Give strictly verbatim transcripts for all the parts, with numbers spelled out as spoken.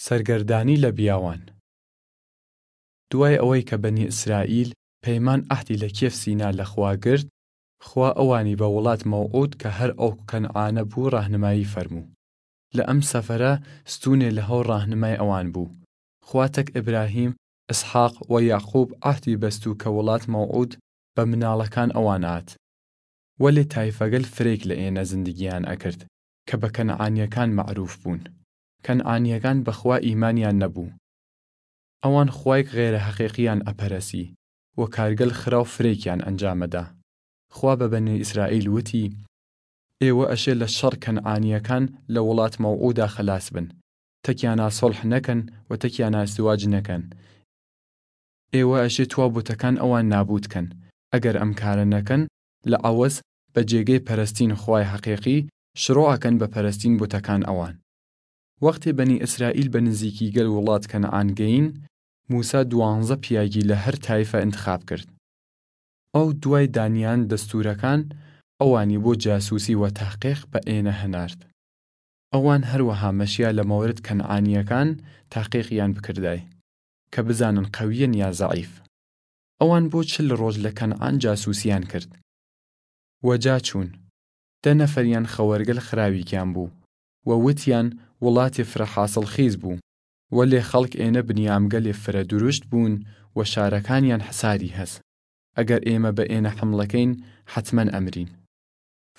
سەرگەردانی لە بیاوان. دوای ئەوەی کە بەنی ئیسرائیل پەیمان عەهدی لە کێف سینا لە خوا گرت، خوا ئەوانی بە وڵات مەوعود کە هەر ئەو کەنعانە بوو ڕاهنمایی فەرموو. لە ئەم سەفەرە ستونێ لە هەو ڕاهنمای ئەوان بوو. خوا تەک ئیبراهیم، ئسحاق و یەعقوب عەهدی بەستوو کە وڵات مەوعود بە مناڵەکان ئەوان ئات. وەلێ تایفەگەل فرەیگ لە ئێنە زندگیان ئەکرد کە بە کەنعانیەکان مەعروف بوون. کەنعانیەکان بە خوا ئیمانیان نەبوو. ئەوان خوایگ غەیرە هەقیقیان ئەپەرەسی و کارگەل خراو فرەیکیان ئەنجامەدا. خوا بە بەنی ئیسرائیل وتی، ئێوە ئەشێ لە شەڕ کەنعانیەکان لە وڵات مەوعودا خەلاس بن. تەکیانا سوڵح نەکەن و تەکیانا ئزدواج نەکەن. ئێوە ئەشێ توا بوتەکان ئەوان نابوود کەن. ئەگەر ئەم کارە نەکەن، لە عەوەز بە جێگەی پەرەستین خوای هەقیقی، شروع ئەکەن بە پەرەستین بوتەکان ئەوان. وەختێ بەنی ئیسرائیل بە نزیکیگەل وڵات کەنعان گەین، موسا دوانزە پیاگی لە هەر تایفە ئنتخاب کرد. ئەو دوای دانیان دەستورەکان، ئەوانی بۆ جاسوسی و تەحقیق بە ئێنە هەنارد. ئەوان هەروەها مەشیا لە مەورد کەنعانیەکان تەحقیقیان بکردای، کە بزانن قەویەن یا زەعیف. ئەوان بۆ چل ڕۆژ لە کەنعان جاسوسیان کرد. وەجا چوون. دە نەفەریان خەوەرگەل خراویگیان بوو و وتیان وڵاتێ فرە حاسڵخیز بوو، وەلێ خەڵک ئێنە بنیامگەلێ فرە دروشت بوون و شارەکانیان حساری هەس. ئەگەر ئێمە بە ئێنە حمڵەکەین، حەتمەن ئەمرین.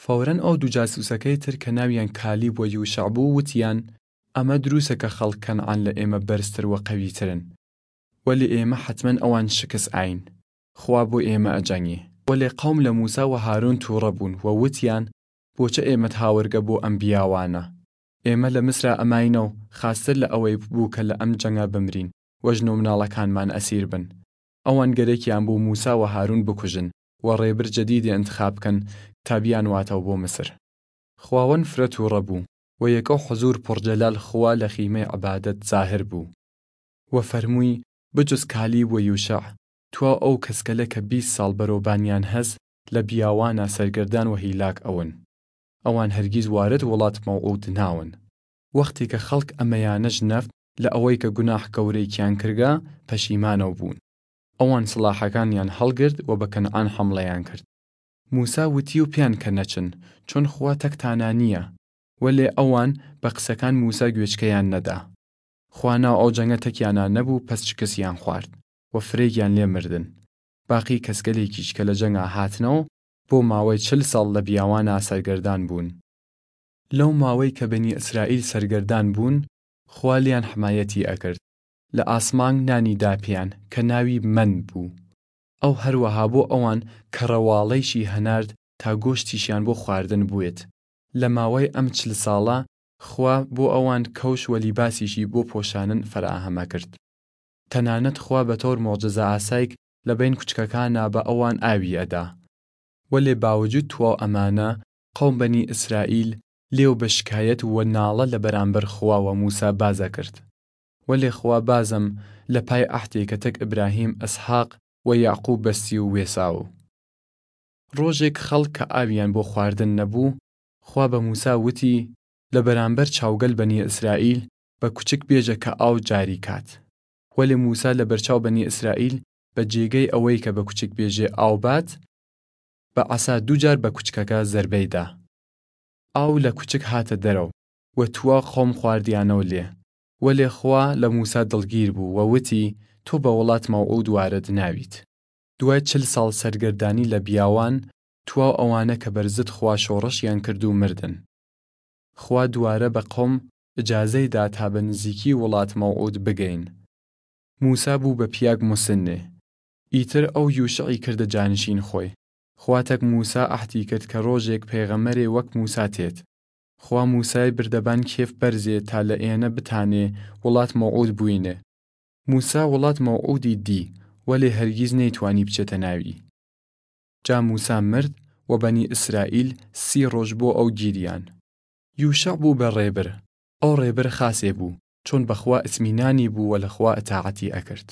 فەورەن ئەو دوو جاسوسەکەی تر کە ناویان کالیب و یوشع بوو وتیان، ئەمە دروسە کە خەڵک کەنعان لە ئێمە بەرزتر و قەویترن. وەلێ ئێمە حەتمەن ئەوان شکس ئاین. خوا بۆ ئێمە ئەجەنگی. وەلێ قەوم لە موسا و هارون تووڕە بوون و وتیان، بۆچە ئێمەت هاوەرگە بۆ ئەم بیاوانە؟ ئێمە لە مصرا ئەماینەو خاستر لە ئەوەی بوو کە لە ئەم جەنگە بمرین و ژن و مناڵەکانمان ئەسیر بن. ئەوان گەرەکیان بوو موسا و هارون بکوژن و ڕێبر جەدیدێ ئنتخاب کەن تا بیانواتەوە بۆ مصر. خواوەن فرە تووڕە بوو و یەکەو حزور پڕجەلال خوا لە خیمەی عبادەت زاهر بوو و فەرمووی، بجز کالیب و یوشع، تواو ئەو کەسکەلە کە بیست ساڵ بەرەوبانیان هەس لە بیاوانا سەرگەردان و هیلاک ئەون. ئەوان هەرگیز وارد وڵات مەوعود ناون. وەختێ کە خەڵک ئەمەیانە ژنەفت لە ئەوەی کە گوناح گەورەیکیان کردگە، پەشیمانەو بوون. ئەوان سڵاحەکانیان هەڵگرد و بە کەنعان حەمڵەیان کرد. موسا وتی و پیان کە نەچن، چون خوا تەکتانا نییە. وەلێ ئەوان بە قسەکان موسا گوێچکەیان نەدا. خوا ناو ئەو جەنگە تەکیانا نەبوو، پەس شکسیان خوارد و فرەیگیان لێ مردن. باقی کەسکەلێکیش کە لە جەنگا هاتنەو، بۆ ماوەی چل ساڵ لە بیاوانا سەرگەردان بوون. لەو ماوەی کە بەنی ئیسرائیل سەرگەردان بوون، خوا لیان حمایەتی ئەکرد. لە ئاسمانگ نانی داپیان کە ناوی مەن بوو. ئەو هەروەها بۆ ئەوان کەڕەواڵەیشی هەنارد تا گۆشتیشیان بۆ خواردن بوێت. لە ماوەی ئەم چل ساڵە خوا بۆ ئەوان کەوش و لیباسیشی بۆ پۆشانن فەراهەمە کرد. تەنانەت خوا بە تەور موعجزە ئاسایگ لە بەین کوچکەکانا بە ئەوان ئاوی ئەدا. وەلێ باوجود تواو ئەمانە، قەوم بەنی ئیسرائیل لێو بە شکایەت و ناڵە لە بەرامبەر خوا و موسا بازە کرد. وەلێ خوا بازم لە پای عەهدێ کە تەک ئیبراهیم، ئسحاق و یەعقوب بەستی و وێساو. ڕۆژێگ خەڵک کە ئاویان بۆ خواردن نەبوو، خوا بە موسا وتی، لە بەرامبەر چاوگەل بەنی ئیسرائیل بە کوچک بێژە کە ئاو جاری کات. وەلێ موسا لە بەرچاو بەنی ئیسرائیل بە جێگەی ئەوەی کە بە کوچک بێژێ ئاو بات، بە عەسا دوو جار بە کوچکەگە زەربەی دا. ئاو لە کوچک هاتە دەرەو و توا قەوم خواردیانەو لێ. وەلێ خوا لە موسا دڵگیر بوو و وتی، تۆ بە وڵات مەوعود وارد ناویت. دوای چل ساڵ سەرگەردانی لە بیاوان، تواو ئەوانە کە بەرزت خوا شۆڕشیان کرد و مردن. خوا دووارە بە قەوم ئجازەی دا تا بە نزیکی وڵات مەوعود بگەین. موسا بوو بە پیاگ موسنێ. ئیتر ئەو یوشعی کردە جانشین خوەی. خوا تەک موسا عەهدی کرد کە ڕۆژێگ پێغەمەرێ وەک موسا تێت. خوا موسای بردە بان کێف بەرزێ تا لە ئێنە بتانێ وڵات مەوعود بوینێ. موسا وڵات مەوعودی دی، وەلێ هەرگیز نەیتوانی بچێتە ناوی. جا موسا مرد و بەنی ئیسرائیل سی ڕۆژ بۆ ئەو گیریان. یوشع بوو بە ڕێبر. ئەو ڕێبر خاسێ بوو، چون بە خوا ئتمینانی بوو و لە خوا ئتاعەتی ئەکرد.